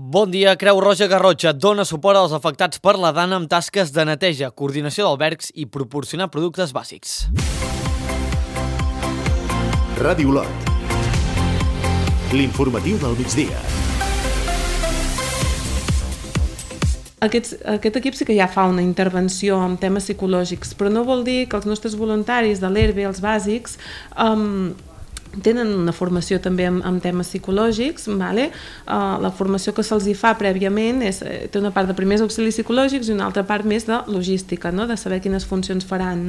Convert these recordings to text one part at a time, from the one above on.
Bon dia. Creu Roja Garrotxa dona suport als afectats per la dana amb tasques de neteja, coordinació d'albergs i proporcionar productes bàsics. Ràdio Olot. L'informatiu del migdia. Aquest equip sí que ja fa una intervenció en temes psicològics, però no vol dir que els nostres voluntaris de l'ERBE, els bàsics, tenen una formació també en temes psicològics. La formació que se'ls fa prèviament té una part de primers auxilis psicològics i una altra part més de logística, de saber quines funcions faran.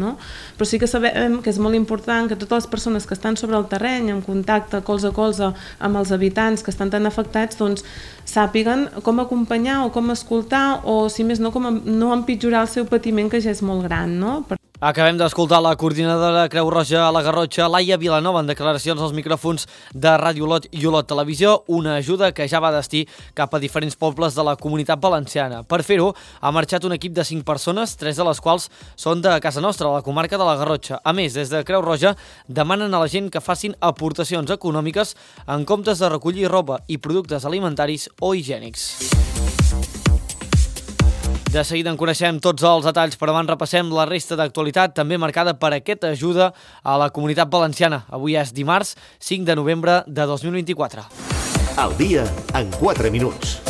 Però sí que sabem que és molt important que totes les persones que estan sobre el terreny, en contacte colze a colze amb els habitants que estan tan afectats, doncs sàpiguen com acompanyar o com escoltar o, si més no, com no empitjorar el seu patiment, que ja és molt gran. Acabem d'escoltar la coordinadora Creu Roja a la Garrotxa, Laia Vilanova, en declaracions als micròfons de Ràdio Olot i Olot Televisió, una ajuda que ja va destí cap a diferents pobles de la Comunitat Valenciana. Per fer-ho, ha marxat un equip de 5 persones, 3 de les quals són de casa nostra, a la comarca de la Garrotxa. A més, des de Creu Roja demanen a la gent que facin aportacions econòmiques en comptes de recollir roba i productes alimentaris o higiènics. De seguida en coneixem tots els detalls, però abans repassem la resta d'actualitat, també marcada per aquesta ajuda a la Comunitat Valenciana. Avui és dimarts, 5 de novembre de 2024. Al dia en 4 minuts.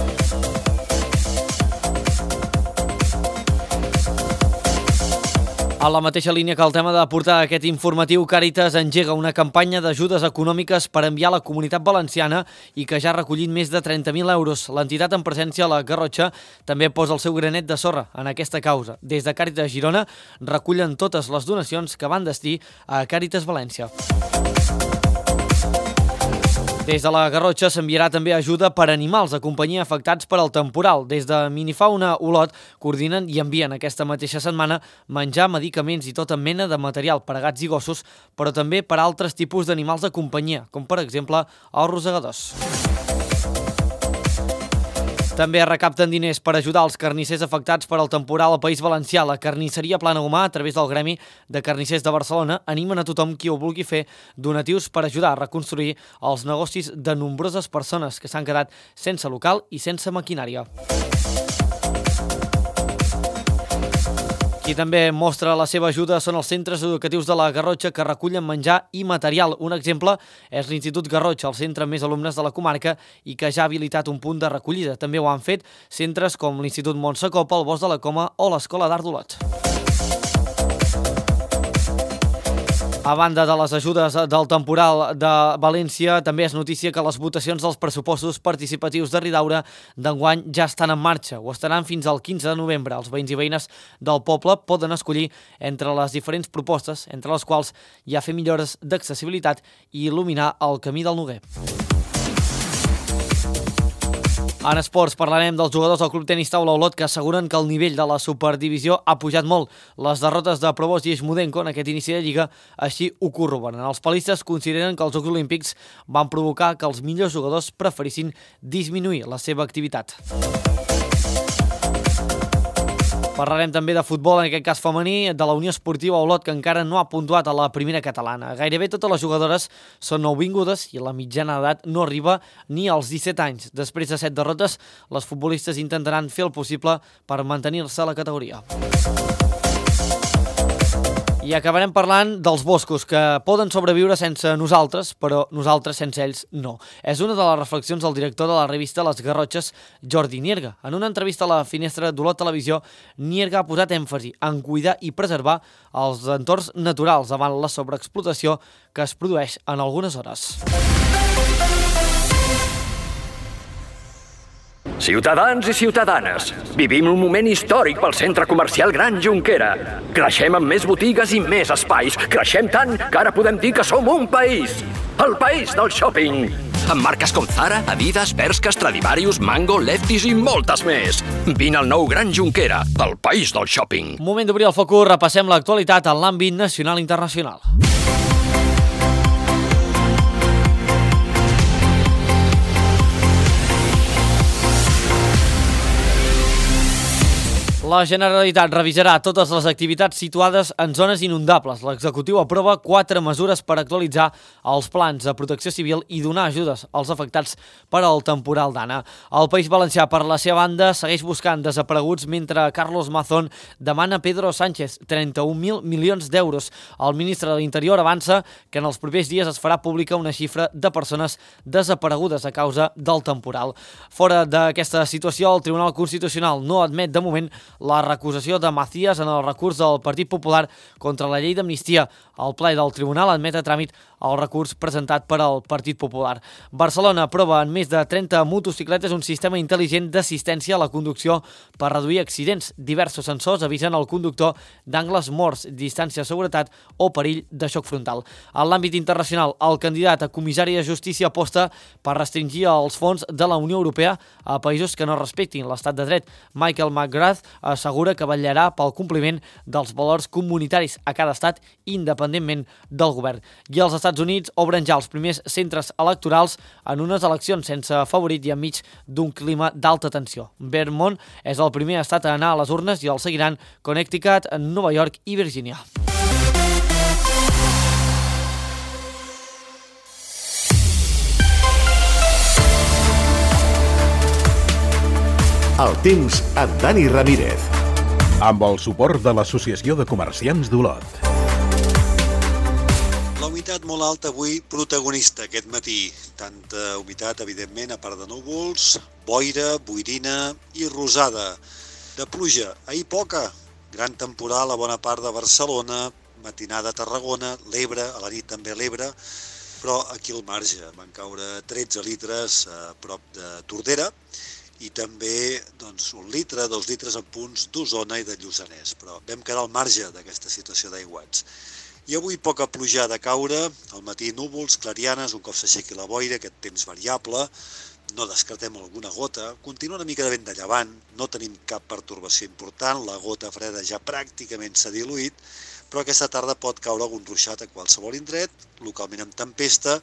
A la mateixa línia que el tema de portar aquest informatiu, Càritas engega una campanya d'ajudes econòmiques per enviar a la Comunitat Valenciana i que ja ha recollit més de 30.000 euros. L'entitat en presència a la Garrotxa també posa el seu granet de sorra en aquesta causa. Des de Càritas Girona recullen totes les donacions que van destí a Càritas València. Des de la Garrotxa s'enviarà també ajuda per animals de companyia afectats per al temporal. Des de Minifauna Olot coordinen i envien aquesta mateixa setmana menjar, medicaments i tota mena de material per a gats i gossos, però també per a altres tipus d'animals de companyia, com per exemple els rosegadors. També recapten diners per ajudar els carnissers afectats per al temporal al País Valencià. La carnisseria Plana Humà, a través del Gremi de Carnissers de Barcelona, animen a tothom qui ho vulgui fer donatius per ajudar a reconstruir els negocis de nombroses persones que s'han quedat sense local i sense maquinària. Qui també mostra la seva ajuda són els centres educatius de la Garrotxa que recullen menjar i material. Un exemple és l'Institut Garrotxa, el centre amb més alumnes de la comarca i que ja ha habilitat un punt de recollida. També ho han fet centres com l'Institut Montsecopa, el Bosc de la Coma o l'Escola d'Art d'Olot. A banda de les ajudes del temporal de València, també és notícia que les votacions dels pressupostos participatius de Ridaura d'enguany ja estan en marxa. Ho estaran fins al 15 de novembre. Els veïns i veïnes del poble poden escollir entre les diferents propostes, entre les quals hi ha fer millores d'accessibilitat i il·luminar el camí del Noguer. En esports parlarem dels jugadors del Club Tenis Taula Olot que asseguren que el nivell de la Superdivisió ha pujat molt. Les derrotes de Provost i Eixmudenko en aquest inici de Lliga així ho corroboren. Els palistes consideren que els Jocs Olímpics van provocar que els millors jugadors preferissin disminuir la seva activitat. Parlarem també de futbol, en aquest cas femení, de la Unió Esportiva Olot, que encara no ha puntuat a la primera catalana. Gairebé totes les jugadores són nouvingudes i la mitjana d'edat no arriba ni als 17 anys. Després de 7 derrotes, les futbolistes intentaran fer el possible per mantenir-se a la categoria. I acabarem parlant dels boscos, que poden sobreviure sense nosaltres, però nosaltres sense ells no. És una de les reflexions del director de la revista Les Garrotxes, Jordi Nierga. En una entrevista a la Finestra d'Olot Televisió, Nierga ha posat èmfasi en cuidar i preservar els entorns naturals davant la sobreexplotació que es produeix en algunes zones. Ciutadans i ciutadanes, vivim un moment històric pel centre comercial Gran Jonquera. Creixem amb més botigues i més espais. Creixem tant que ara podem dir que som un país. El país del shopping. Amb marques com Zara, Adidas, Bershka, Stradivarius, Mango, Lefties i moltes més. Vine al nou Gran Jonquera, el país del shopping. Moment d'obrir el focus, repassem l'actualitat en l'àmbit nacional i internacional. La Generalitat revisarà totes les activitats situades en zones inundables. L'executiu aprova 4 mesures per actualitzar els plans de protecció civil i donar ajudes als afectats per al temporal d'Anna. El País Valencià, per la seva banda, segueix buscant desapareguts mentre Carlos Mazón demana a Pedro Sánchez 31.000 milions d'euros. El ministre de l'Interior avança que en els propers dies es farà pública una xifra de persones desaparegudes a causa del temporal. Fora d'aquesta situació, el Tribunal Constitucional no admet de moment la recusació de Macías en el recurs del Partit Popular contra la llei d'amnistia. El ple del tribunal admet a tràmit el recurs presentat per al Partit Popular. Barcelona aprova en més de 30 motocicletes un sistema intel·ligent d'assistència a la conducció per reduir accidents. Diversos sensors avisen el conductor d'angles morts, distància de seguretat o perill de xoc frontal. En l'àmbit internacional, el candidat a comissari de justícia aposta per restringir els fons de la Unió Europea a països que no respectin l'estat de dret. Michael McGrath assegura que vetllarà pel compliment dels valors comunitaris a cada estat independentment del govern. I els Estats Units obren ja els primers centres electorals en unes eleccions sense favorit i enmig d'un clima d'alta tensió. Vermont és el primer estat a anar a les urnes i el seguiran Connecticut, Nova York i Virgínia. El temps amb Dani Ramírez. Amb el suport de l'Associació de Comerciants d'Olot. La humitat molt alta avui protagonista aquest matí. Tanta humitat, evidentment, a part de núvols, boira, boirina i rosada. De pluja, ahir poca. Gran temporal a bona part de Barcelona, matinada a Tarragona, l'Ebre, a la nit també a l'Ebre, però aquí al marge van caure 13 litres a prop de Tordera, i també 1 litre, 2 litres en punts d'Osona i de Lluçanès, però vam quedar al marge d'aquesta situació d'aiguats. I avui poca pluja de caure, al matí núvols, clarianes, un cop s'aixequi la boira, aquest temps variable, no descartem alguna gota, continua una mica de vent de llevant, no tenim cap pertorbació important, la gota freda ja pràcticament s'ha diluït, però aquesta tarda pot caure algun ruixat a qualsevol indret, localment amb tempesta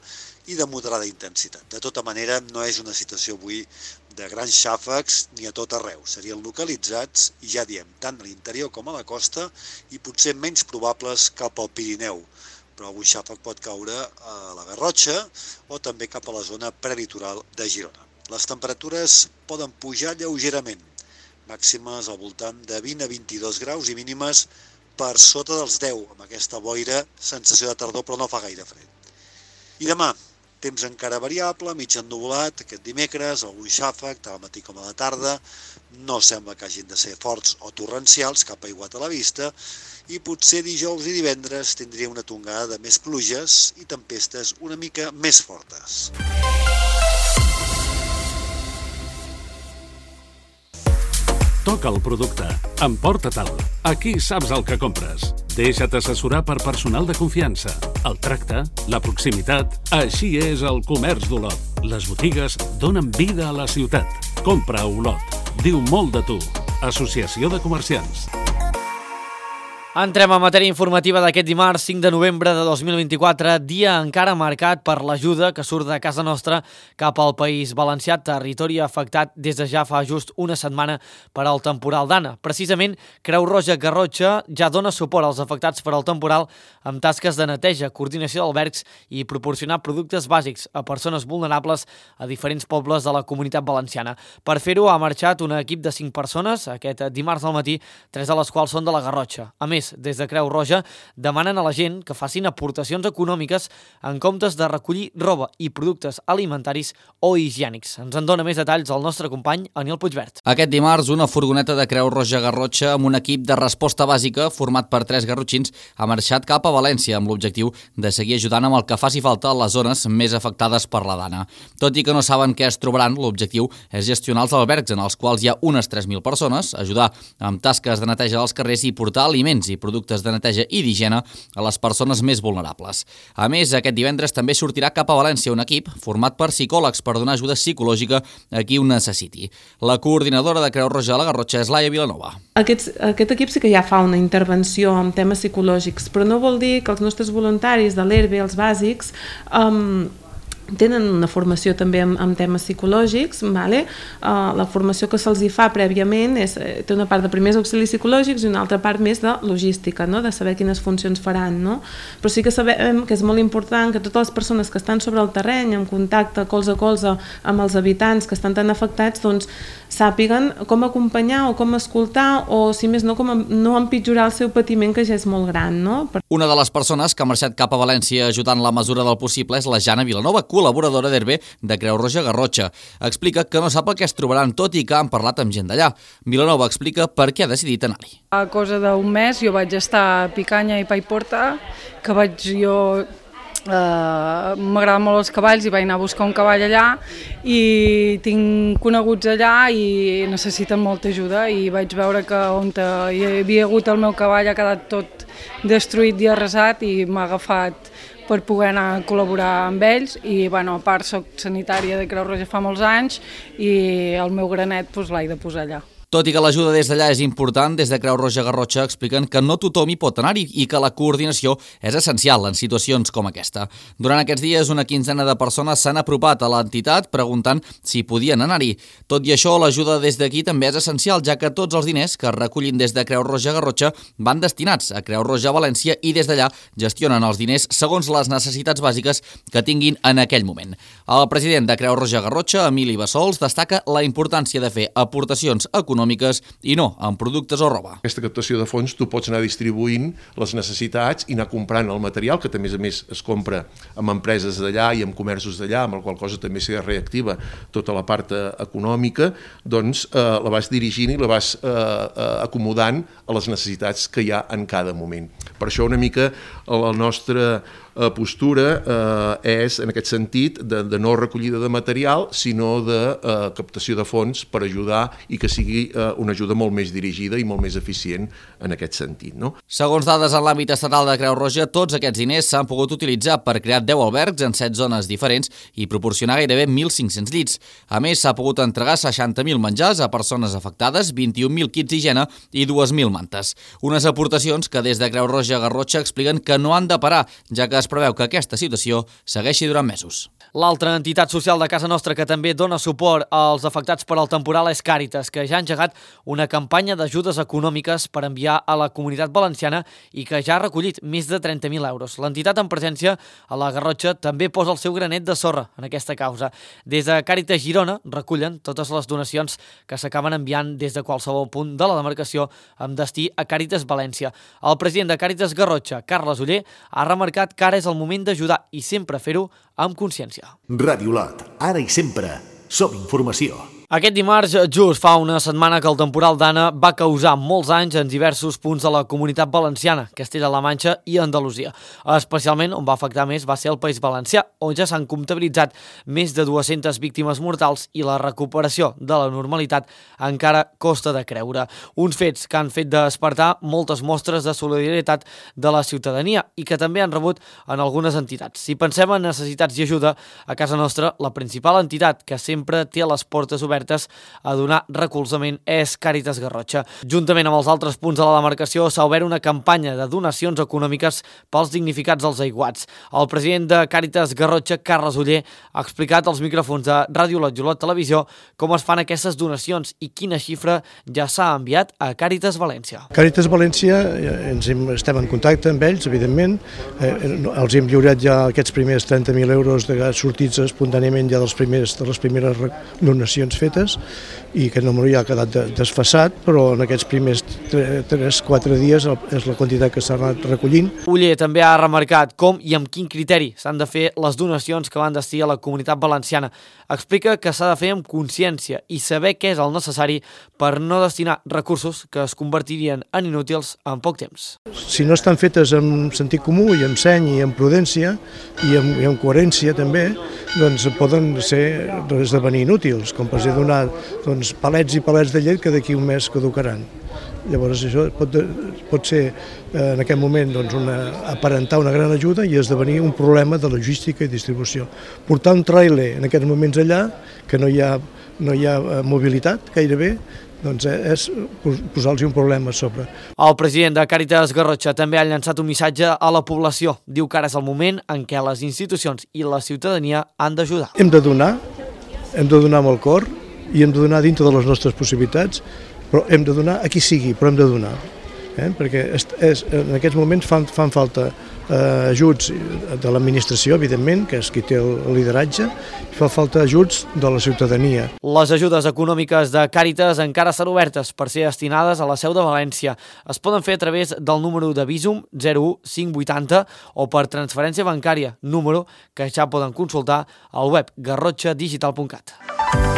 i de moderada intensitat. De tota manera, no és una situació avui de grans xàfecs ni a tot arreu. Serien localitzats, i ja diem, tant a l'interior com a la costa, i potser menys probables cap al Pirineu. Però algun xàfec pot caure a la Garrotxa o també cap a la zona prelitoral de Girona. Les temperatures poden pujar lleugerament, màximes al voltant de 20 a 22 graus i mínimes per sota dels 10, amb aquesta boira, sensació de tardor, però no fa gaire fred. I demà, temps encara variable, mig ennuvolat, aquest dimecres, algun xàfec, tant al matí com a la tarda, no sembla que hagin de ser forts o torrencials, cap aiguat a la vista, i potser dijous i divendres tindria una tongada de més pluges i tempestes una mica més fortes. Toca el producte. Emporta-te'l. Aquí saps el que compres. Deixa't assessorar per personal de confiança. El tracte, la proximitat... Així és el comerç d'Olot. Les botigues donen vida a la ciutat. Compra a Olot. Diu molt de tu. Associació de Comerciants. Entrem a matèria informativa d'aquest dimarts 5 de novembre de 2024, dia encara marcat per l'ajuda que surt de casa nostra cap al País Valencià, territori afectat des de ja fa just una setmana per al temporal d'Anna. Precisament, Creu Roja Garrotxa ja dona suport als afectats per al temporal amb tasques de neteja, coordinació d'albergs i proporcionar productes bàsics a persones vulnerables a diferents pobles de la Comunitat Valenciana. Per fer-ho ha marxat un equip de 5 persones aquest dimarts al matí, 3 de les quals són de la Garrotxa. A més, des de Creu Roja demanen a la gent que facin aportacions econòmiques en comptes de recollir roba i productes alimentaris o higiènics. Ens en dona més detalls el nostre company Aniel Puigvert. Aquest dimarts, una furgoneta de Creu Roja Garrotxa amb un equip de resposta bàsica format per 3 garrotxins ha marxat cap a València amb l'objectiu de seguir ajudant amb el que faci falta a les zones més afectades per la dana. Tot i que no saben què es trobaran, l'objectiu és gestionar els albergs en els quals hi ha unes 3.000 persones, ajudar amb tasques de neteja dels carrers i portar aliments i productes de neteja i d'higiene a les persones més vulnerables. A més, aquest divendres també sortirà cap a València un equip format per psicòlegs per donar ajuda psicològica a qui ho necessiti. La coordinadora de Creu Roja a la Garrotxa és Laia Vilanova. Aquest equip sí que ja fa una intervenció en temes psicològics, però no vol dir que els nostres voluntaris de l'ERBE, els bàsics, tenen una formació també en temes psicològics, vale? La formació que se'ls hi fa prèviament té una part de primers auxilis psicològics i una altra part més de logística, no? De saber quines funcions faran, no? Però sí que sabem que és molt important que totes les persones que estan sobre el terreny, en contacte colze a colze amb els habitants que estan tan afectats, doncs sàpiguen com acompanyar o com escoltar o, si més no, com no empitjorar el seu patiment, que ja és molt gran, no? Una de les persones que ha marxat cap a València ajudant la mesura del possible és la Jana Vilanova, col·laboradora d'Hervé de Creu Roja Garrotxa. Explica que no sap el que es trobaran, tot i que han parlat amb gent d'allà. Vilanova explica per què ha decidit anar-hi. A cosa d'un mes jo vaig estar a Picanya i Paiporta, que m'agraden molt els cavalls i vaig anar a buscar un cavall allà i tinc coneguts allà i necessiten molta ajuda i vaig veure que on hi havia hagut el meu cavall ha quedat tot destruït i arrasat i m'ha agafat per poder anar a col·laborar amb ells i a part soc sanitària de Creu Roja fa molts anys i el meu granet l'he de posar allà. Tot i que l'ajuda des d'allà és important, des de Creu Roja Garrotxa expliquen que no tothom hi pot anar-hi i que la coordinació és essencial en situacions com aquesta. Durant aquests dies, una quinzena de persones s'han apropat a l'entitat preguntant si podien anar-hi. Tot i això, l'ajuda des d'aquí també és essencial, ja que tots els diners que es recullin des de Creu Roja Garrotxa van destinats a Creu Roja València i des d'allà gestionen els diners segons les necessitats bàsiques que tinguin en aquell moment. El president de Creu Roja Garrotxa, Emili Bassols, destaca la importància de fer aportacions econòmiques i no en productes o roba. Aquesta captació de fons tu pots anar distribuint les necessitats i anar comprant el material, que també a més es compra amb empreses d'allà i amb comerços d'allà, amb la qual cosa també s'hi reactiva tota la part econòmica, doncs la vas dirigint i la vas acomodant a les necessitats que hi ha en cada moment. Per això una mica la nostra postura és, en aquest sentit, de no recollida de material, sinó de captació de fons per ajudar i que sigui una ajuda molt més dirigida i molt més eficient en aquest sentit, no? Segons dades en l'àmbit estatal de Creu Roja, tots aquests diners s'han pogut utilitzar per crear 10 albergs en 7 zones diferents i proporcionar gairebé 1.500 llits. A més, s'ha pogut entregar 60.000 menjars a persones afectades, 21.000 kits d'higiene i 2.000 mantes. Unes aportacions que des de Creu Roja Garrotxa expliquen que no han de parar, ja que es preveu que aquesta situació segueixi durant mesos. L'altra entitat social de casa nostra que també dona suport als afectats per al temporal és Càritas, que ja ha engegat una campanya d'ajudes econòmiques per enviar a la Comunitat Valenciana i que ja ha recollit més de 30.000 euros. L'entitat en presència a la Garrotxa també posa el seu granet de sorra en aquesta causa. Des de Càritas Girona recullen totes les donacions que s'acaben enviant des de qualsevol punt de la demarcació amb destí a Càritas València. El president de Càritas Garrotxa, Carles Oller, ha remarcat que ara és el moment d'ajudar i sempre fer-ho amb consciència. Ràdio Lot, ara i sempre, som informació. Aquest dimarts, just fa una setmana que el temporal Dana va causar molts anys en diversos punts de la Comunitat Valenciana, Castella-La Manxa i Andalusia. Especialment on va afectar més va ser el País Valencià, on ja s'han comptabilitzat més de 200 víctimes mortals i la recuperació de la normalitat encara costa de creure. Uns fets que han fet despertar moltes mostres de solidaritat de la ciutadania i que també han rebut en algunes entitats. Si pensem en necessitats i ajuda, a casa nostra la principal entitat que sempre té les portes obertes a donar recolzament és Càritas Garrotxa. Juntament amb els altres punts de la demarcació s'ha obert una campanya de donacions econòmiques pels dignificats als aiguats. El president de Càritas Garrotxa, Carles Oller, ha explicat als micròfons de Ràdio Lot i Olot Televisió com es fan aquestes donacions i quina xifra ja s'ha enviat a Càritas València. Càritas València, estem en contacte amb ells, evidentment. Els hem lliurat ja aquests primers 30.000 euros sortits espontàniament ja de les primeres donacions fetes i aquest número ja ha quedat desfasat, però en aquests primers 3-4 dies és la quantitat que s'ha anat recollint. Oller també ha remarcat com i amb quin criteri s'han de fer les donacions que van destinar a la Comunitat Valenciana. Explica que s'ha de fer amb consciència i saber què és el necessari per no destinar recursos que es convertirien en inútils en poc temps. Si no estan fetes amb sentit comú i amb seny i amb prudència i amb coherència també, doncs poden esdevenir inútils, com per exemple donar palets i palets de llet que d'aquí un mes caducaran. Llavors això pot ser en aquest moment aparentar una gran ajuda i esdevenir un problema de logística i distribució. Portar un tràiler en aquests moments allà, que no hi ha no hi ha mobilitat gairebé, doncs és posar-los un problema a sobre. El president de Càritas Garrotxa també ha llançat un missatge a la població. Diu que ara és el moment en què les institucions i la ciutadania han d'ajudar. Hem de donar amb el cor i hem de donar dintre de les nostres possibilitats, però hem de donar a qui sigui, però hem de donar. Perquè en aquests moments fan falta ajuts de l'administració, evidentment, que és qui té el lideratge, i fa falta ajuts de la ciutadania. Les ajudes econòmiques de Càritas encara estan obertes per ser destinades a la seu de València. Es poden fer a través del número de Bizum 01580 o per transferència bancària, número que ja poden consultar al web garrotxadigital.cat.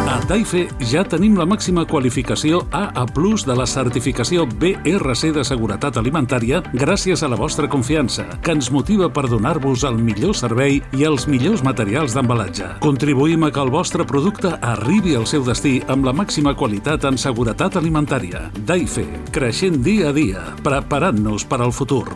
A Daife ja tenim la màxima qualificació AA+ de la certificació BRC de seguretat alimentària gràcies a la vostra confiança, que ens motiva per donar-vos el millor servei i els millors materials d'embalatge. Contribuïm a que el vostre producte arribi al seu destí amb la màxima qualitat en seguretat alimentària. Daife, creixent dia a dia, preparant-nos per al futur.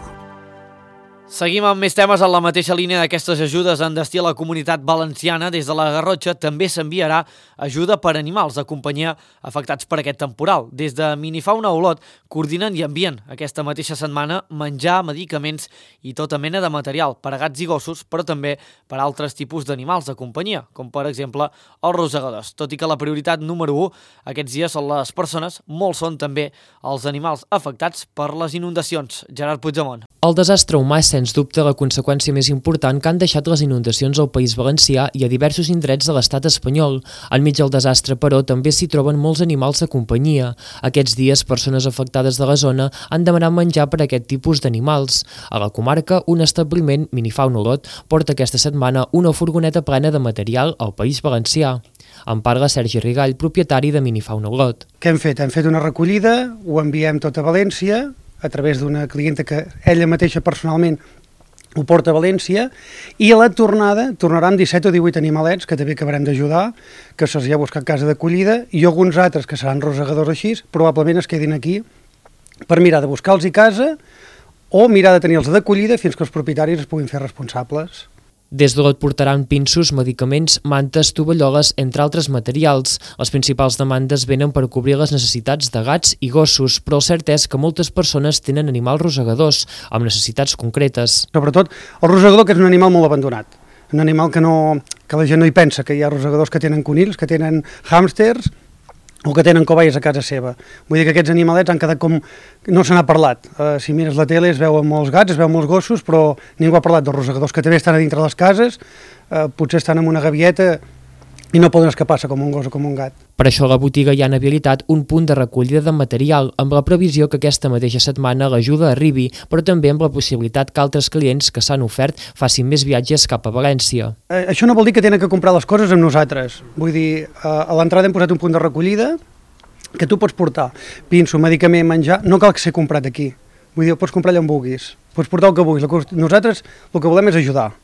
Seguim amb més temes en la mateixa línia d'aquestes ajudes en destí a la comunitat valenciana. Des de la Garrotxa també s'enviarà ajuda per animals de companyia afectats per aquest temporal. Des de Minifauna Olot coordinen i envien aquesta mateixa setmana menjar, medicaments i tota mena de material per a gats i gossos, però també per a altres tipus d'animals de companyia, com per exemple els rosegadors. Tot i que la prioritat número 1 aquests dies són les persones, molts són també els animals afectats per les inundacions. Gerard Puigdemont. El desastre humà és sens dubte la conseqüència més important que han deixat les inundacions al País Valencià i a diversos indrets de l'estat espanyol. Enmig del desastre, però, també s'hi troben molts animals de companyia. Aquests dies, persones afectades de la zona han demanat menjar per a aquest tipus d'animals. A la comarca, un establiment, Minifauna Olot, porta aquesta setmana una furgoneta plena de material al País Valencià. En parla Sergi Rigall, propietari de Minifauna Olot. Què hem fet? Hem fet una recollida, ho enviem tot a València, a través d'una clienta que ella mateixa personalment ho porta a València, i a la tornada tornaran 17 o 18 animalets que també acabarem d'ajudar, que se'ls hi ha buscat casa d'acollida, i alguns altres que seran rosegadors així, probablement es quedin aquí per mirar de buscar-los i casa o mirar de tenir-los d'acollida fins que els propietaris es puguin fer responsables. Des d'Olot portaran pinços, medicaments, mantes, tovalloles, entre altres materials. Les principals demandes venen per cobrir les necessitats de gats i gossos, però el cert és que moltes persones tenen animals rosegadors, amb necessitats concretes. Sobretot el rosegador, que és un animal molt abandonat, un animal que la gent no hi pensa, que hi ha rosegadors que tenen conills, que tenen hàmsters, o que tenen cobayes a casa seva. Vull dir que aquests animalets han quedat com... No se n'ha parlat. Si mires la tele es veuen molts gats, es veuen molts gossos, però ningú ha parlat dels rosegadors, que també estan a dintre les cases, potser estan en una gavieta i no poden escapar-se com un gos o com un gat. Per això a la botiga hi han habilitat un punt de recollida de material, amb la previsió que aquesta mateixa setmana l'ajuda arribi, però també amb la possibilitat que altres clients que s'han ofert facin més viatges cap a València. Això no vol dir que tenen que comprar les coses amb nosaltres. Vull dir, a l'entrada hem posat un punt de recollida que tu pots portar pinso, medicament, menjar, no cal que ser comprat aquí. Vull dir, ho pots comprar allà on vulguis, pots portar el que vulguis. Nosaltres el que volem és ajudar.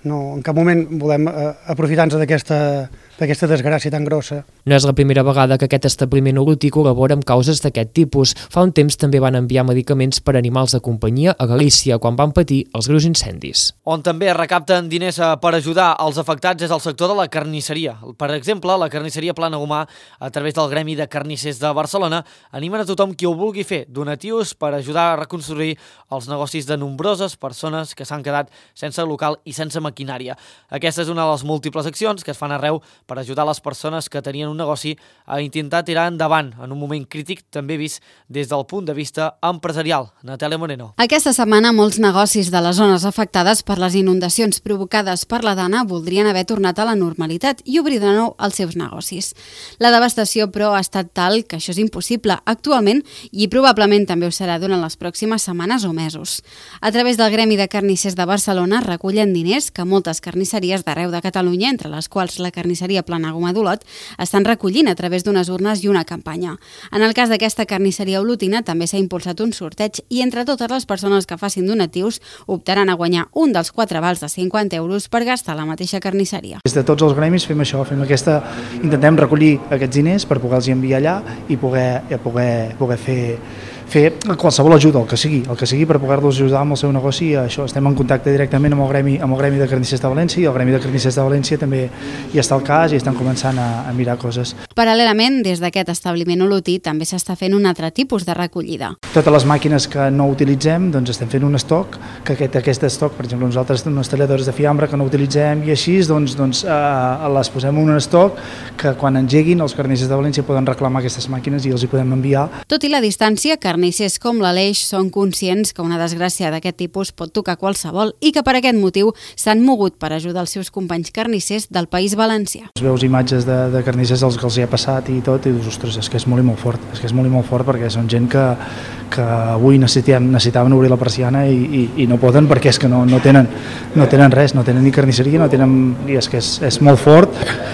No, en cap moment volem aprofitar-nos d'aquesta desgràcia tan grossa. No és la primera vegada que aquest establiment olotí col·labora amb causes d'aquest tipus. Fa un temps també van enviar medicaments per a animals de companyia a Galícia quan van patir els greus incendis. On també recapten diners per ajudar els afectats és el sector de la carnisseria. Per exemple, la carnisseria Plana Gomà, a través del Gremi de Carnissers de Barcelona, animen a tothom qui ho vulgui fer donatius per ajudar a reconstruir els negocis de nombroses persones que s'han quedat sense local i sense maquinària. Aquesta és una de les múltiples accions que es fan arreu per ajudar les persones que tenien un negoci a intentar tirar endavant en un moment crític també vist des del punt de vista empresarial. Natàlia Moreno. Aquesta setmana molts negocis de les zones afectades per les inundacions provocades per la Dana voldrien haver tornat a la normalitat i obrir de nou els seus negocis. La devastació, però, ha estat tal que això és impossible actualment i probablement també ho serà durant les pròximes setmanes o mesos. A través del Gremi de Carnissers de Barcelona recullen diners que moltes carnisseries d'arreu de Catalunya, entre les quals la carnisseria Plana Gomà d'Olot, estan recollint a través d'unes urnes i una campanya. En el cas d'aquesta carnisseria olotina també s'ha impulsat un sorteig i entre totes les persones que facin donatius optaran a guanyar un dels 4 vals de 50 euros per gastar a la mateixa carnisseria. Des de tots els gremis fem això, intentem recollir aquests diners per poder-los enviar allà i poder fer fer qualsevol ajuda, el que sigui per poder-los ajudar amb el seu negoci. Això, estem en contacte directament amb el gremi de carnissers de València, i el gremi de carnissers de València també hi està al cas i estan començant a mirar coses. Paral·lelament, des d'aquest establiment olotí també s'està fent un altre tipus de recollida. Totes les màquines que no utilitzem, doncs estem fent un estoc, que aquest estoc, per exemple, nosaltres unes talladores de fiambre que no utilitzem i així, doncs les posem en un estoc que quan engeguin els carnissers de València poden reclamar aquestes màquines i els hi podem enviar. Tot i la distància, carnissers com l'Aleix són conscients que una desgràcia d'aquest tipus pot tocar qualsevol i que per aquest motiu s'han mogut per ajudar els seus companys carnissers del País Valencià. Veus imatges de carnissers als que els hi ha passat i tot, i dius, ostres, és que és molt i molt fort, perquè són gent que avui necessitaven obrir la persiana i no poden perquè és que no tenen res, no tenen ni carnisseria, i és que és molt fort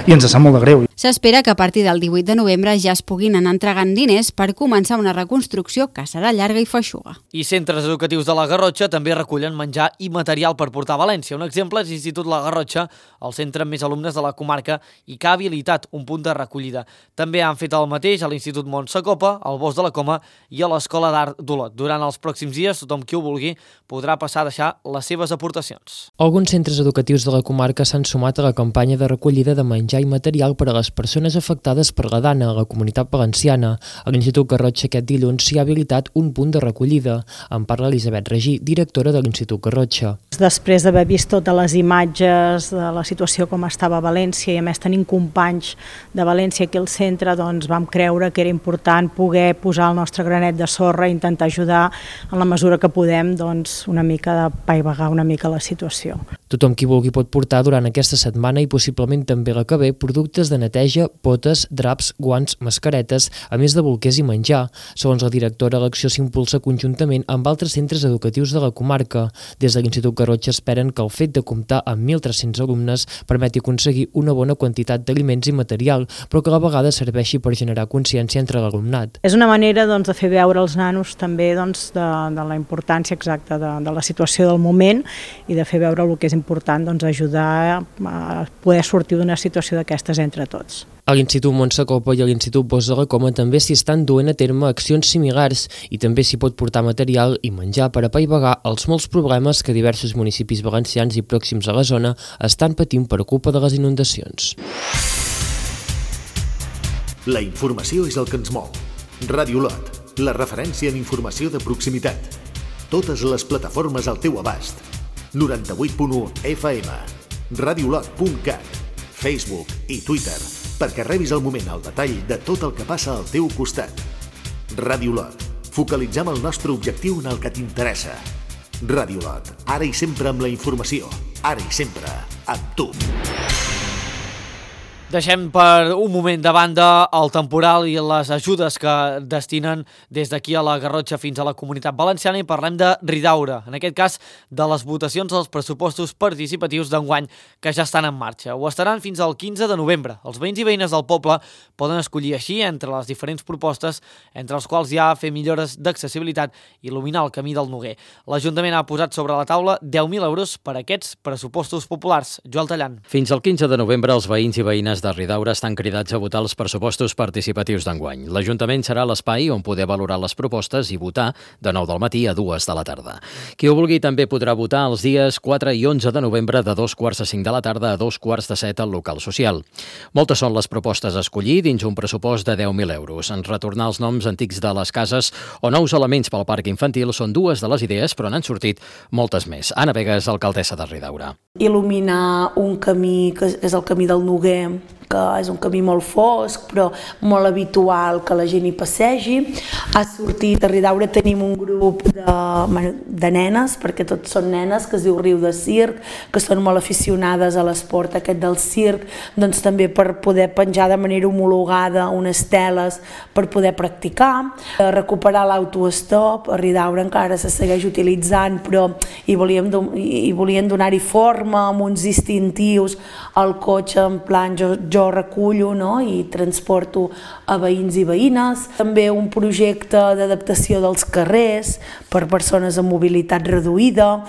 i ens sap molt de greu. S'espera que a partir del 18 de novembre ja es puguin anar entregant diners per començar una reconstrucció que serà llarga i feixuga. I centres educatius de la Garrotxa també recullen menjar i material per portar a València. Un exemple és l'Institut La Garrotxa, el centre amb més alumnes de la comarca i que ha habilitat un punt de recollida. També han fet el mateix a l'Institut Montsacopa, al Bosc de la Coma i a l'Escola d'Art d'Olot. Durant els pròxims dies, tothom qui ho vulgui podrà passar a deixar les seves aportacions. Alguns centres educatius de la comarca s'han sumat a la campanya de recollida de menjar i material per a les persones afectades per la dana a la Comunitat Valenciana. A l'Institut Garrotxa aquest dilluns s'hi ha habilitat un punt de recollida. En parla Elisabet Regí, directora de l'Institut Garrotxa. Després d'haver vist totes les imatges de la situació com estava a València i a més tenint companys de València aquí al centre, doncs vam creure que era important poder posar el nostre granet de sorra i intentar ajudar en la mesura que podem, doncs, una mica de paivagar una mica la situació. Tothom qui vulgui pot portar durant aquesta setmana i possiblement també la que ve productes de neteja, potes, draps, guants, mascaretes, a més de bolquers i menjar. Segons la directora, l'acció s'impulsa conjuntament amb altres centres educatius de la comarca. Des de l'Institut Garrotxa esperen que el fet de comptar amb 1.300 alumnes permeti aconseguir una bona quantitat d'aliments i material, però que a la vegada serveixi per generar consciència entre l'alumnat. És una manera de fer veure als nanos també de la importància exacta de la situació del moment i de fer veure el que és important, ajudar a poder sortir d'una situació d'aquestes entre tots. A l'Institut Montsacopa i a l'Institut Bosc de la Coma també s'hi estan duent a terme accions similars i també s'hi pot portar material i menjar per apaivagar els molts problemes que diversos municipis valencians i pròxims a la zona estan patint per culpa de les inundacions. La informació és el que ens mou. Ràdio Olot, la referència en informació de proximitat. Totes les plataformes al teu abast. 98.1 FM, radiolot.cat, Facebook i Twitter, perquè rebis al moment el detall de tot el que passa al teu costat. Ràdio Olot, focalitzem el nostre objectiu en el que t'interessa. Ràdio Olot, ara i sempre amb la informació, ara i sempre amb tu. Deixem per un moment de banda el temporal i les ajudes que destinen des d'aquí a la Garrotxa fins a la Comunitat Valenciana i parlem de Ridaura, en aquest cas de les votacions dels pressupostos participatius d'enguany que ja estan en marxa. Ho estaran fins al 15 de novembre. Els veïns i veïnes del poble poden escollir així entre les diferents propostes, entre els quals hi ha fer millores d'accessibilitat i il·luminar el camí del Noguer. L'Ajuntament ha posat sobre la taula 10.000 euros per a aquests pressupostos populars. Joel Tallant. Fins al 15 de novembre els veïns i veïnes de Ridaura estan cridats a votar els pressupostos participatius d'enguany. L'Ajuntament serà l'espai on poder valorar les propostes i votar de 9 del matí a 2 de la tarda. Qui ho vulgui també podrà votar els dies 4 i 11 de novembre de 2:45 de la tarda a 2:45 al local social. Moltes són les propostes a escollir dins un pressupost de 10.000 euros. En retornar els noms antics de les cases o nous elements pel parc infantil són dues de les idees, però n'han sortit moltes més. Anna Vegas, alcaldessa de Ridaura. Il·luminar un camí que és el camí del Noguer, que és un camí molt fosc però molt habitual que la gent hi passegi. Ha sortit a Ridaura, tenim un grup de nenes, perquè tots són nenes, que es diu Riu de Circ, que són molt aficionades a l'esport aquest del circ, doncs també per poder penjar de manera homologada unes teles per poder practicar. Recuperar l'autoestop, a Ridaura encara se segueix utilitzant, però hi volien donar-hi forma amb uns distintius al cotxe, en plan jo recullo, no? I transporto a veïns i veïnes. També un projecte d'adaptació dels carrers per persones amb mobilitat reduïda.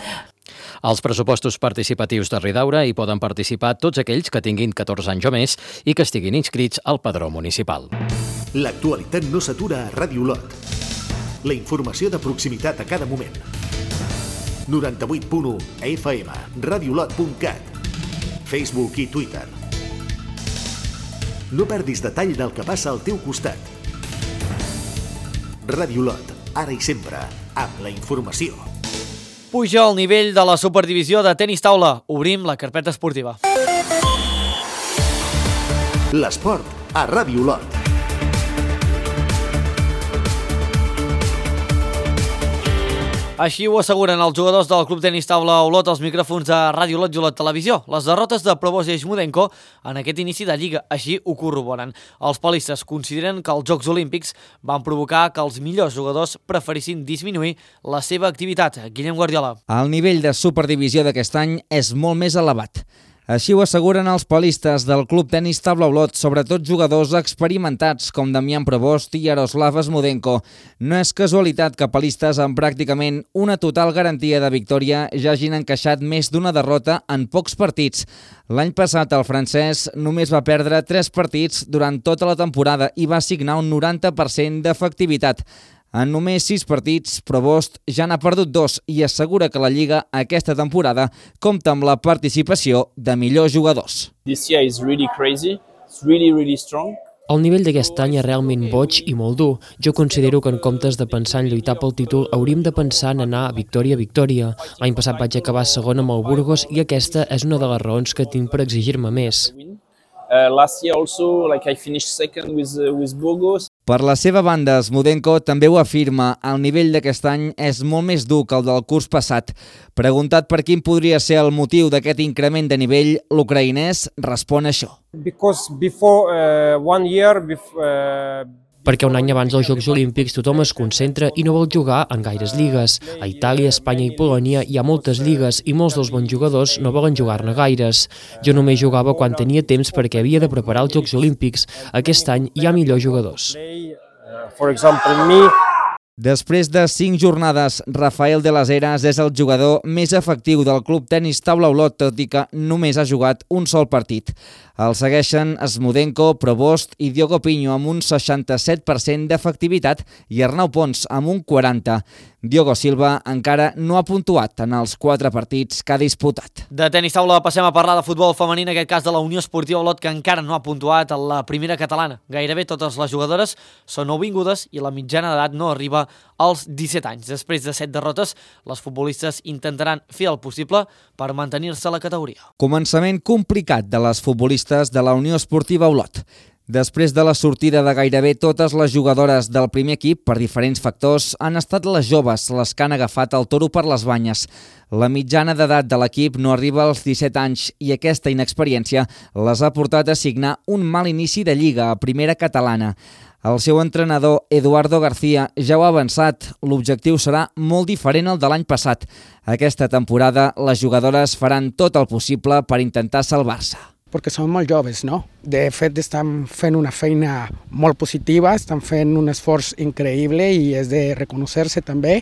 Als pressupostos participatius de Ridaura hi poden participar tots aquells que tinguin 14 anys o més i que estiguin inscrits al padró municipal. L'actualitat no s'atura a Ràdio Olot. La informació de proximitat a cada moment. 98.1 FM, radiolot.cat, Facebook i Twitter. No perdis detall del que passa al teu costat. Radiolot, ara i sempre, amb la informació. Puja el nivell de la superdivisió de tenis taula. Obrim la carpeta esportiva. L'esport a Radiolot. Així ho asseguren els jugadors del Club Tenis Taula Olot als micròfons de Ràdio Olot i Olot Televisió. Les derrotes de Probosch i Smudenko en aquest inici de Lliga així ho corroboren. Els palistes consideren que els Jocs Olímpics van provocar que els millors jugadors preferissin disminuir la seva activitat. Guillem Guardiola. El nivell de superdivisió d'aquest any és molt més elevat. Així ho asseguren els palistes del Club Tenis Taula Olot, sobretot jugadors experimentats com Damián Probosch i Yaroslav Smudenko. No és casualitat que palistes amb pràcticament una total garantia de victòria ja hagin encaixat més d'una derrota en pocs partits. L'any passat el francès només va perdre 3 partits durant tota la temporada i va signar un 90% d'efectivitat. En només 6 partits, Probosch ja n'ha perdut 2 i assegura que la Lliga aquesta temporada compta amb la participació de millors jugadors. This year is really crazy. It's really strong. El nivell d'aquest any és realment boig i molt dur. Jo considero que en comptes de pensar en lluitar pel títol, hauríem de pensar en anar victòria a victòria. L'any passat vaig acabar segon amb el Burgos i aquesta és una de les raons que tinc per exigir-me més. Last year also, I finished second with Burgos. Per la seva banda, Smudenko també ho afirma, el nivell d'aquest any és molt més dur que el del curs passat. Preguntat per quin podria ser el motiu d'aquest increment de nivell, l'ucraïnès respon això. Perquè un any abans dels Jocs Olímpics tothom es concentra i no vol jugar en gaires lligues. A Itàlia, Espanya i Polònia hi ha moltes lligues i molts dels bons jugadors no volen jugar-ne gaires. Jo només jugava quan tenia temps perquè havia de preparar els Jocs Olímpics. Aquest any hi ha millors jugadors. Després de 5 jornades, Rafael de las Heras és el jugador més efectiu del Club Tenis Taula Olot, tot i que només ha jugat un sol partit. El segueixen Smudenko, Probosch i Diogo Pinho amb un 67% d'efectivitat i Arnau Pons amb un 40%. Diogo Silva encara no ha puntuat en els 4 partits que ha disputat. De tenis taula passem a parlar de futbol femení, en aquest cas de la Unió Esportiva Olot, que encara no ha puntuat a la primera catalana. Gairebé totes les jugadores són nouvingudes i la mitjana d'edat no arriba als 17 anys. Després de 7 derrotes, les futbolistes intentaran fer el possible per mantenir-se a la categoria. Començament complicat de les futbolistes de la Unió Esportiva Olot. Després de la sortida de gairebé totes les jugadores del primer equip per diferents factors, han estat les joves les que han agafat el toro per les banyes. La mitjana d'edat de l'equip no arriba als 17 anys i aquesta inexperiència les ha portat a signar un mal inici de Lliga a primera catalana. El seu entrenador, Eduardo García, ja ho ha avançat. L'objectiu serà molt diferent al de l'any passat. Aquesta temporada, les jugadores faran tot el possible per intentar salvar-se. Perquè són molt joves, no? De fet, estan fent una feina molt positiva, estan fent un esforç increïble i és de reconèixer-se també,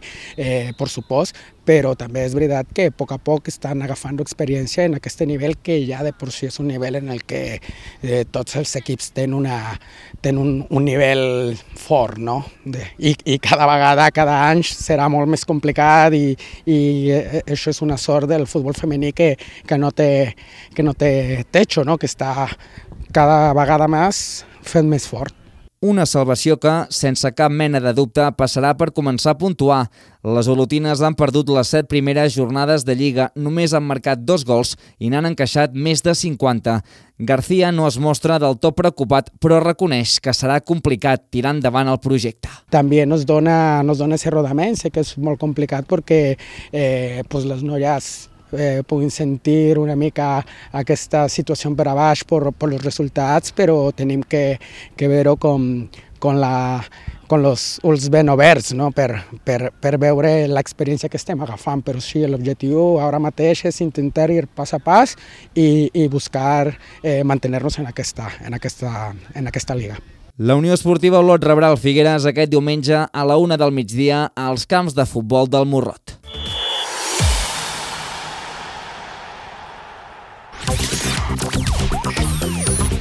per supost, però també és veritat que a poc estan agafant experiència en aquest nivell que ja de per si és un nivell en el que tots els equips tenen un nivell fort, no? I cada vegada, cada any serà molt més complicat i això és una sort del futbol femení que no té techo, no? Que està cada vegada més fent més fort. Una salvació que, sense cap mena de dubte, passarà per començar a puntuar. Les olotines han perdut les 7 primeres jornades de Lliga, només han marcat 2 gols i n'han encaixat més de 50. García no es mostra del tot preocupat, però reconeix que serà complicat tirar endavant el projecte. També nos dona ese rodament, sé que és molt complicat perquè les noies puguin sentir una mica aquesta situació per a baix per els resultats, però tenim que veure con els ulls ben oberts, no? per veure l'experiència que estem agafant. Però sí, l'objectiu ara mateix és intentar ir pas a pas i buscar mantenir-nos en aquesta liga. La Unió Esportiva Olot rebrà el Figueres aquest diumenge a la 1 del migdia als camps de futbol del Morrot.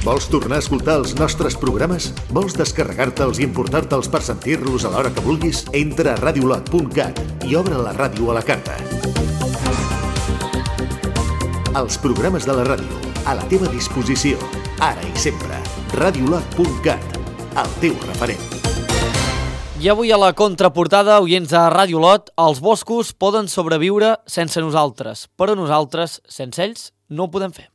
Vols tornar a escoltar els nostres programes? Vols descarregar-te'ls i importar-te'ls per sentir-los a l'hora que vulguis? Entra a radiolot.cat i obre la ràdio a la carta. Els programes de la ràdio, a la teva disposició, ara i sempre. Radiolot.cat, el teu referent. I avui a la contraportada, oients de Ràdio Lot, els boscos poden sobreviure sense nosaltres, però nosaltres, sense ells, no ho podem fer.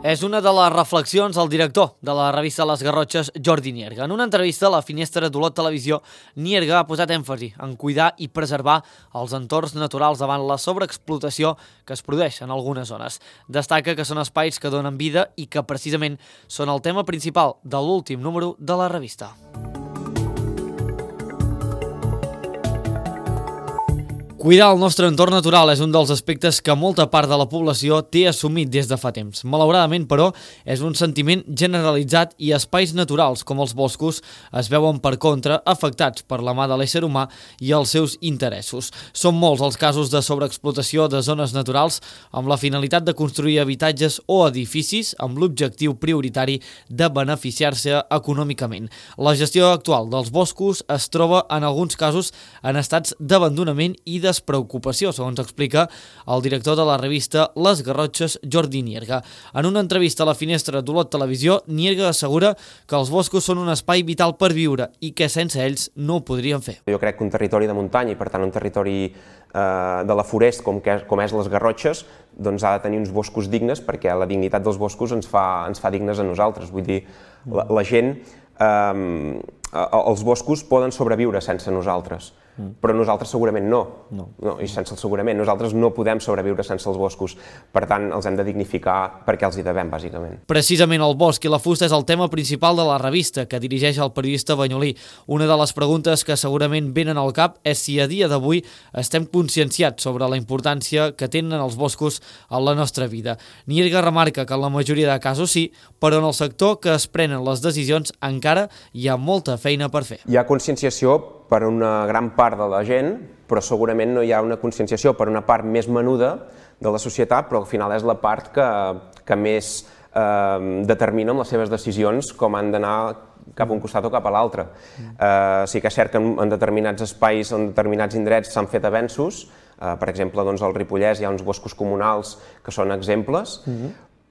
És una de les reflexions del director de la revista Les Garrotxes, Jordi Nierga. En una entrevista a la finestra d'Olot Televisió, Nierga ha posat èmfasi en cuidar i preservar els entorns naturals davant la sobreexplotació que es produeix en algunes zones. Destaca que són espais que donen vida i que precisament són el tema principal de l'últim número de la revista. Cuidar el nostre entorn natural és un dels aspectes que molta part de la població té assumit des de fa temps. Malauradament, però, és un sentiment generalitzat i espais naturals, com els boscos, es veuen per contra afectats per la mà de l'ésser humà i els seus interessos. Són molts els casos de sobreexplotació de zones naturals amb la finalitat de construir habitatges o edificis amb l'objectiu prioritari de beneficiar-se econòmicament. La gestió actual dels boscos es troba, en alguns casos, en estats d'abandonament i despreocupació, segons explica el director de la revista Les Garrotxes, Jordi Nierga. En una entrevista a la finestra d'Olot Televisió, Nierga assegura que els boscos són un espai vital per viure i que sense ells no ho podrien fer. Jo crec que un territori de muntanya i per tant un territori de la forest com és les Garrotxes doncs ha de tenir uns boscos dignes perquè la dignitat dels boscos ens fa dignes a nosaltres. Vull dir, la gent, els boscos poden sobreviure sense nosaltres. Però nosaltres segurament no. I sense el segurament. Nosaltres no podem sobreviure sense els boscos. Per tant, els hem de dignificar perquè els hi devem, bàsicament. Precisament el bosc i la fusta és el tema principal de la revista, que dirigeix el periodista banyolí. Una de les preguntes que segurament venen al cap és si a dia d'avui estem conscienciats sobre la importància que tenen els boscos en la nostra vida. Nierga remarca que en la majoria de casos sí, però en el sector que es prenen les decisions encara hi ha molta feina per fer. Hi ha conscienciació per una gran part de la gent, però segurament no hi ha una conscienciació per una part més menuda de la societat, però al final és la part que més determina amb les seves decisions com han d'anar cap a un costat o cap a l'altre. Sí que és cert que en determinats espais, en determinats indrets s'han fet avenços, per exemple, al Ripollès hi ha uns boscos comunals que són exemples,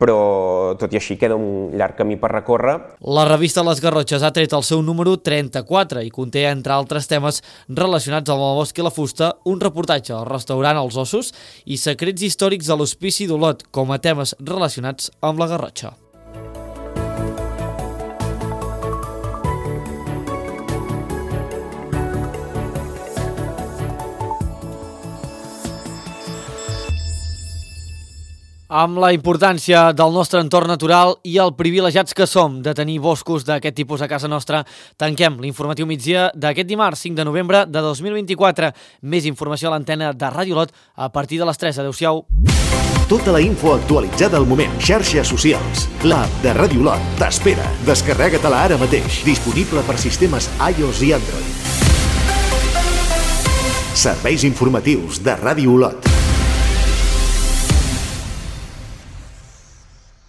però tot i així queda un llarg camí per recórrer. La revista Les Garrotxes ha tret el seu número 34 i conté, entre altres temes relacionats amb el bosc i la fusta, un reportatge al restaurant Els Ossos i secrets històrics de l'Hospici d'Olot com a temes relacionats amb la Garrotxa. Amb la importància del nostre entorn natural i el privilegiats que som de tenir boscos d'aquest tipus a casa nostra, tanquem l'informatiu migdia d'aquest dimarts 5 de novembre de 2024. Més informació a l'antena de Ràdio Lot a partir de les 3. Adéu-siau. Tota la info actualitzada al moment. Xarxes socials. L'app de Ràdio Lot t'espera. Descarrega-te-la ara mateix. Disponible per sistemes iOS i Android. Serveis informatius de Ràdio Lot.